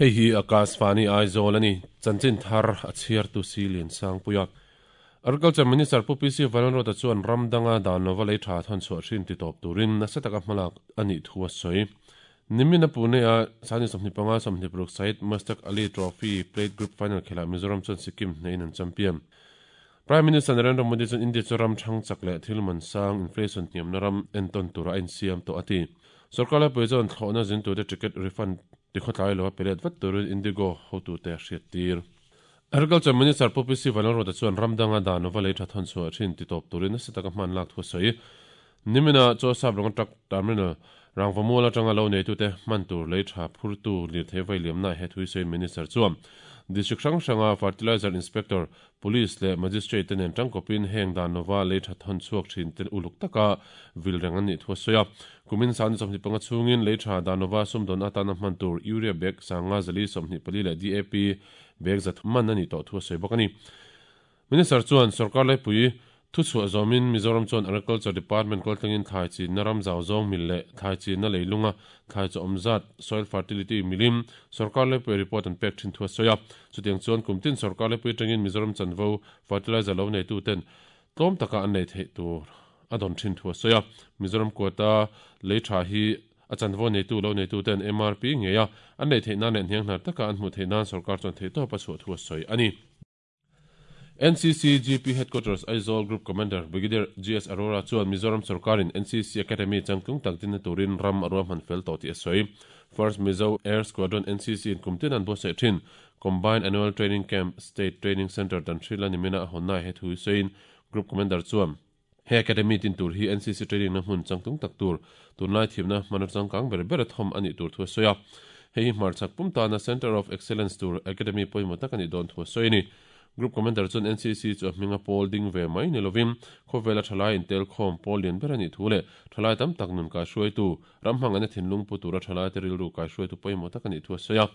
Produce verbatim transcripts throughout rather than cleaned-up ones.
Hei hi Akashvani Aizawl ani chanchin thar a chhiar tu si lian sang puia. Agriculture Minister Pu P C Vanlalruata chuan ramdanga dan lova lei tha thawn chhuah hrin ti tawp turin nasa taka hmalak ani thu a sawi. Nimina Pune a sani sawmhnih panga sawmhnih paruk Syed Mushtaq Ali Trophy Plate Group Final khela Mizoram chuan Sikkim hnein an champion. Prime Minister Narendra Modi chuan India chu ram thang chak leh thil man sang inflation hniamna ram entawn tura a insiam tawh a ti. Sarkar laipui chuan thlawhna zin turte ticket refund tikhaw tlai lo a pelet vat turin Indigo hotu te a hriat tir. Agriculture Minister Pu P C Vanlalruata chuan ramdanga dan lova lei tha thawn chhuah thin ti tawp turin nasa taka hman lak thu a sawi. Nimina chaw sap rawng truck terminal rangvamual atanga lo nei tute hman tur lei tha phurtu lirthei vai liamna he thui sawi Minister chuan district hrang hranga fertilizer inspector police leh magistrate te nen tangkawpin heng dan lova lei tha thawn chhuak thin ten uluk taka vil reng an nih thu a sawi a. Kumin sani sawmhnih panga chhungin lei tha dan lova sumdawn atana hman tur urea bag sanga zali sawmhnih pali leh D A P bag zat man ani tawh thu a sawi bawk ani. Minister chuan sarkar laipui thu chhuah zawmin Mizoram chuan Agriculture Department kaltlangin thlai chinna ram zau zawng mil leh thlai chinna leilunga thlai chaw awm zat soil fertility milim sarkar laipui report an pek thin thu a sawi a. Chutiang chuan kumtin sarkar laipui tangin Mizoram chanvo fertilizer lo nei tu ten tlawm taka an nei theih tur a dawn thin thu a sawi a. Mizoram quota lei tha hi a chanvo nei tu lo nei tu ten M R P nge a an nei theih nan leh hniang hnar taka an hmuh theih nan sarkar chuan theih tawp a chhuah thu a sawi ani. N C C G P Headquarters Aizawl Group Commander Brigadier G S Arora chuan Mizoram Sarkarin N C C Academy changtlung tak dinna turin ram arua hman fel tawh tih a sawi. First Mizo Air Squadron N C C in kumtin an buatsaih thin Combined Annual Training Camp State Training Center dan thrila nimina a hawnna he thu sawiin Group Commander chuan he academy tin tur hi N C C training na hmun changtlung tak tur tunlai thimna hman changkang ber ber a thawm ani tur thu a sawi a. Hei hi hmarchhak pum tana Center of Excellence tur Academy pawimawh tak ani dawn thu a sawi ni. Group Commander chuan N C C chu a hminga pawl ding ve mai ni lovin khawvela thalai intel khawm pawl lian ber ani thu leh thalai tam tak nun kai hruaitu ram hmang an thinlung pu tura thalai te rilru kai hruaitu pawimawh tak ani thu a sawi a.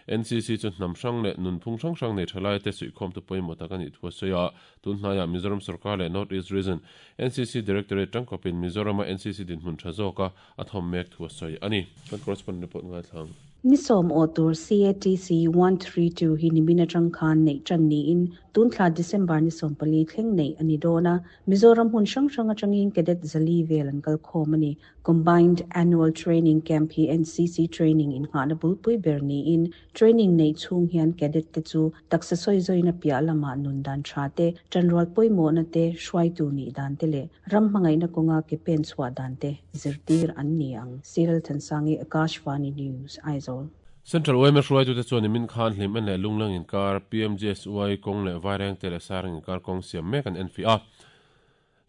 N C C chu hnam hrang leh nun phung hrang hrang nei thalai te suihkhawm tu pawimawh tak ani thu a sawi a. Tun hnaiah Mizoram Sarkar leh North East Region N C C Directorate tangkawpin Mizorama N C C dinhmun tha zawka a thawm mek thu a sawi ani. Kan correspondent report ngai thlang. Nisom otur C A T C one three two hi nimina tangkhan nei chan ni in tunthla December ni sompali thleng nei ani dona Mizoram hun hrang hrang atangin cadet zali vel an kal khawm ani. Combined Annual Training Camp hi N C C training in ngana bulpui ber ni in training nei chung hian cadet te chu taksa soi zoina pia lama nun dan tha te chanrual poimo na te hruai tu ni dan te le ram mangai na konga ke pen chhuah dan te zirtir an ni ang. Cyril Thansangi, Akashvani News, Aizawl. Central O M S hruaitu te chuan min khan hlim en leh lunglang inkar P M G S Y kawng leh vaireng te leh sarang inkar kawng siam mek an en fi a.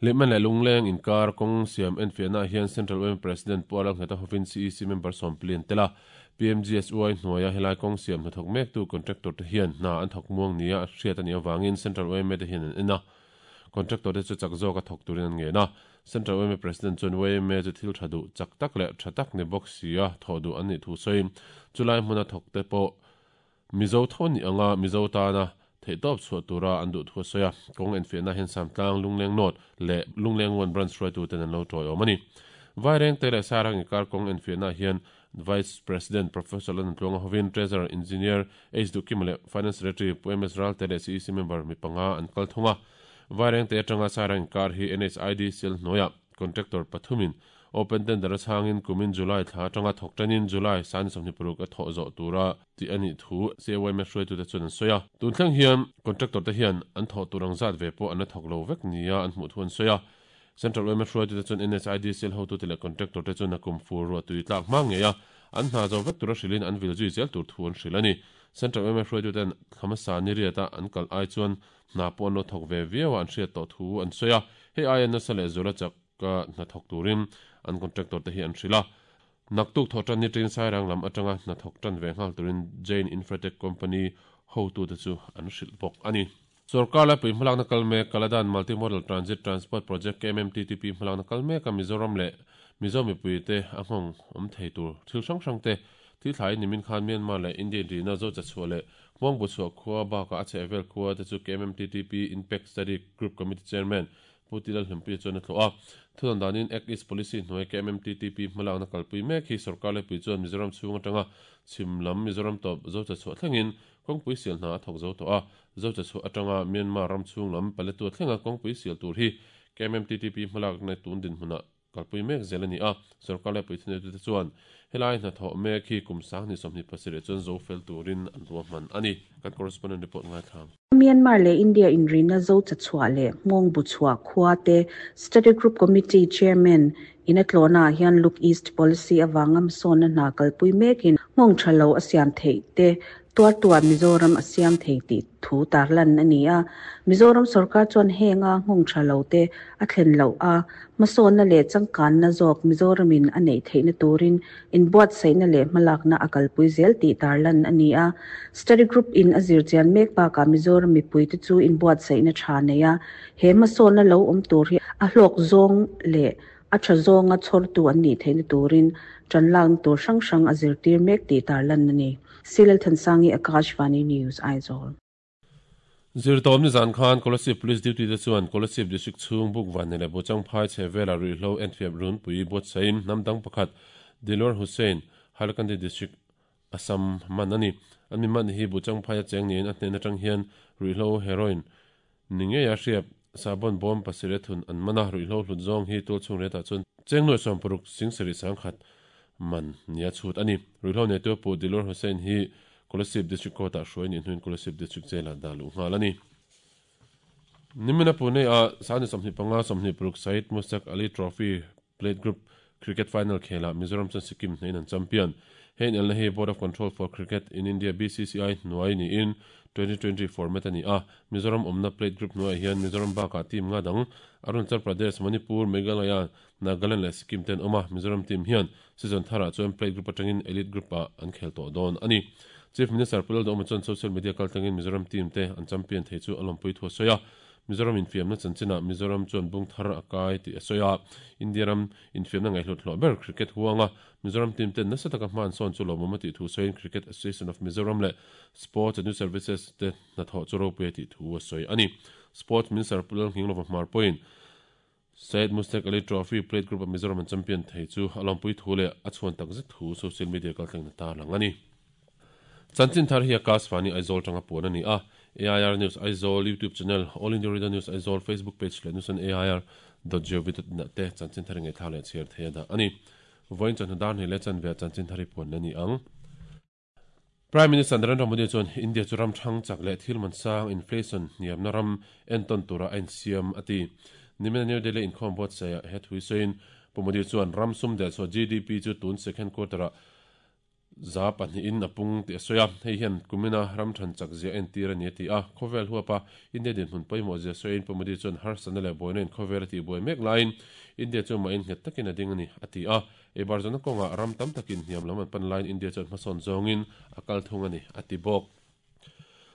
Hlim en leh lungleng inkar kawng siam en fiahna hian Central O M President Pu Alang Hneta hovin C E C member sawmplian tela P M G S Y hnuaia helai kawng siam hnathawk mek tu contractor te hian hna an thawk muang nia a hriat ani awangin Central O M te hian an en a. Contractor te chu chak zawk a thawk turin an ngen a. Central O M President chuan O M chu thil tha duh chak tak leh tha tak ni bawk si a thaw duh an nih thu sawiin chulai hmuna thawk te pawh Mizo tho ni anga Mizo tana theih tawp chhuah tura an duh thu a sawi a. Kawng en fiahna hian Samtlang Lungleng North leh Lungleng One Branch hruaitu ten an lo tawi awm ani. Vaireng te leh Sarang inkar kawng en fiahna hian Vice President Professor Lan Tluanga hovin Treasurer Engineer H Dukim leh Finance Secretary Pu M S Ral te leh C E C member mi panga an kal thung a. Vaireng te atanga Sarang inkar hi N H I D C L hnuaia contractor pathumin open tender a changin kumin July thla atanga thawk tanin July sani sawmhnih paruk a thawh zawh tura ti ani thu C A Y M hruaitu te chuan an sawi a. Tun thleng hian contractor te hian an thawh tur ang zat ve pawh an la thawk lo vek nia an hmuh thu an sawi a. Central O M hruaitu te chuan N H I D C L hotu te leh contractor te chuan a kum fur ruah tui tlak hma ngei a an hna zo vek tura hrilin an vil zui zel tur thu an hril ani. Central O M hruaitu ten thamasa ni riata an kal ai chuan hna pawh an lo thawk ve viau a an hriat tawh thu an sawi a. Hei ai an nasa leh zula chak ka hna thawk turin an contractor te hi an hril a. Naktuk thaw tan ni tin Sairang lam atanga hna thawk tan ve nghal turin Jain Infratech Company hotu te chu an hril bawk ani. Sarkar laipui hmalakna kal mek Kaladan Multimodal Transit Transport Project K M M T T P hmalakna kal mek a Mizoram leh Mizo mipui te a nghawng awm thei tur thil hrang hrang te thil thlai nimin khan Myanmar leh India rina zo cha chhuah leh Hmuang bu chhuah khua baka a chhehvel khua te chu K M M T T P Impact Study Group Committee Chairman Pu Tilalhlimpuia chuan a tlawh a. Thudan danin Act East Policy hnuai K M M T T P hmalakna kalpui mek hi sarkar lepui chuan Mizoram chhung atanga chhim lam Mizoram tawp zo cha chhuah thlengin kawngpui sial hna a thawk zo tawh a. Zo cha chhuah atanga Myanmar ram chhung lam Paletwa thlenga kawngpui sial tur hi K M M T T P hmalakna tun din hmunah kalpui mek zel ani a. Sarkar lepui thuneitu te chuan helai hna thawh mek hi kum sang ni sawmhnih pasarih chuan zo fel turin an ruahman ani. Kan correspondent report ngai thlang. Myanmar le India in rina zo cha chhuah le hmawng bu chhuah khua te Study Group Committee Chairman in a tlawhna ah hian Look East Policy awanga hmasawnna hna kalpui mekin hmawng tha lo a siam theih te tuar tuar Mizoram a siam thei tih thu tarlan ani a. Mizoram sarkar chuan henga hmawng tha lo te a thlen lo a hmasawnna leh changkanna zawk Mizoramin a neih theihna turin inbuatsaihna leh hmalakna a kalpui zel tih tarlan ani a. Study Group in a zir chian mek bakah Mizoram mipui te chu inbuatsaihna tha nei a he hmasawnna lo awm tur hi a hlawk zawng leh a tha zawnga chhawrtu an nih theihna turin tanlang tur hrang hrang a zir tir mek tih tarlan ani. Silal Thansangi, Akashvani News, Aizawl. Zirtawm ni zan khan Kolasib Police Duty te chuan Kolasib District chhung buk van le Bochang phai chhevela ruihhlo entfiap run pui buatsain hnamdang pakhat Dilwar Hussain Hailakandi District Assam man ani. An mi man hi Bochang phai a cheng niin a hnen atang hian ruihhlo heroin ni ngei a hriat sabon bawm pasarih thun an mana ruihhlo hlut zawng hi tul chhung retah chuan cheng nuai sawm paruk sing sarih sangkhat man nia chhut ani. Ruihhlo nei tu pu Dilwar Hussain hi Kolasib District Court ah hruai ni hnuin Kolasib District Jail ah dah luh nghal ani. Nimina Pune a sani sawmhnih panga sawmhnih paruk Syed Mushtaq Ali Trophy Plate Group Cricket Final khela Mizoram chuan Sikkim hnein an champion. Hein elna hi Board of Control for Cricket in India B C C I hnuai niin twenty twenty format ani a. Mizoram awmna Plate Group hnuai hian Mizoram bakah team nga dang Arunachal Pradesh, Manipur, Meghalaya, Nagaland leh Sikkim ten awm a. Mizoram team hian season tharah chuan Plate Group atangin Elite Group ah an khel tawh dawn ani. Chief Minister Pu Lalduhoma chuan social media kaltlangin Mizoram team te an champion thei chu a lawmpui thu a sawi a. Mizoram infiamna chanchinah Mizoram chuan bung thar a kai tih a sawi a. India ram infiamna ngaihhlut hlawh ber cricket huanga Mizoram team ten nasa taka hma an sawn chu lawmawm a tih thu sawiin Cricket Association of Mizoram leh Sports and Youth Services te hnathawh chu ropui a tih thu a sawi ani. Sports Minister Pu Lalnghinglova Hmar pawhin Syed Mushtaq Ali Trophy Plate Group a Mizoram an champion thei chu a lawmpui thu leh a chhuan tak zet thu social media kalthleng na tarlang ani. Chanchin thar hi Akashvani Aizawl tanga puan ani a. A I R News Aizawl YouTube channel, All India Radio News Aizawl Facebook page leh news on A I R dot gov dot in te chanchin thar nge thla leh chhiar thei a dah ani. Voin chuan hnadan hi leh chan ve chanchin thar hi puan ani ang. Prime Minister Narendra Modi chuan India chu ram thang chak leh thil man sang inflation hniamna ram enton tura a insiam ati. Nimina New Delhi inkhawm buatsaih he thui sawiin Pu Modi chuan ram sum del chhuah G D P chu tun second quarter ah za pahnih in a pung tih a sawi a. Hei hian kumina ram than chak zia en tir ani a ti a. Khawvel huapa India dinhmun pawimawh zia sawiin Pu Modi chuan harsatna leh buaina in khawvel a tih buai mek laiin India chu mah in nghet takin a ding ani a ti a. Eibar zawna kawngah ram tam takin hniam lam an pan laiin India chuan hmasawn zawngin a kal thung ani a ti bawk.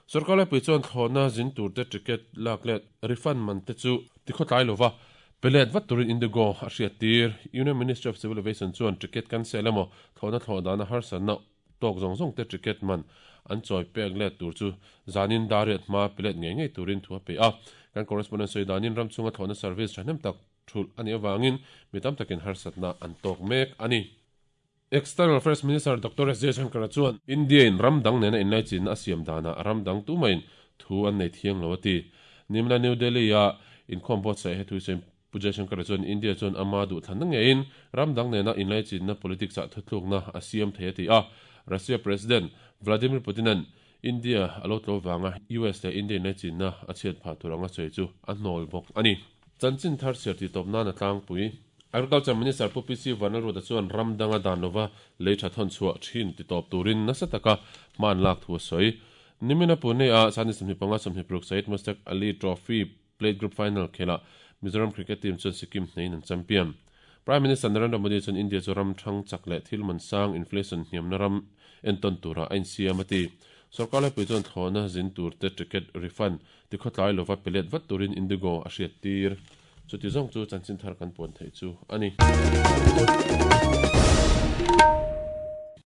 Sarkar lepui chuan thlawhna zin tur te ticket lak leh refund man te chu tikhaw tlai lova pelet vat turin Indigo a hriat tir. Union Ministry of Civil Aviation chuan ticket cancel emaw thlawhna thlawh dana harsatna tawk zawng zawng te ticket man an chawi pek let tur chu zanin dariat hma pelet ngei ngei turin thu a pe a. Kan correspondent sawi danin ram chunga thlawhna service thahnem tak thul ani awangin mi tam takin harsatna an tawk mek ani. External Affairs Minister Doctor S Jaishankar chuan India in ram dang nena inlai chin a siam dana ram dang tumain thu an nei thiang lo ati. Nimla New Delhi a inkhawm buatsaih he thui sawiin Pu Jaishankar chuan India chuan ama duh thlan na ngeiin ram dang nena inlai chinna politics ah thutlukna a siam thei a ti a. Russia President Vladimir Putinan India alo tlo wanga U S leh India inlai chinna a chhiat phah turanga sawi chu a hnawl bawk ani. Chanchin thar siar ti tawp nan a tlangpui. Agriculture Minister Pu P C Vanlalruata chuan ram danga dan lova lei tha thawn chhuah thin ti tawp turin nasa taka hma an lak thu a sawi. Nimina Pune a sani sawmhnih panga sawmhnih paruk Syed Mushtaq Ali Trophy Plate Group Final khela Mizoram Cricket Team chuan Sikkim hnein an champion. Prime Minister Narendra Modi chuan India chu ram thang chak leh thil man sang inflation hniamna ram enton tura a insiam a ti. Sarkar lepui chuan thlawhna zin tur te ticket refund tikhaw tlai lova pelet vat turin Indigo a hriat tir. Chuti zawng chu chanchin thar kan puan thei chu ani.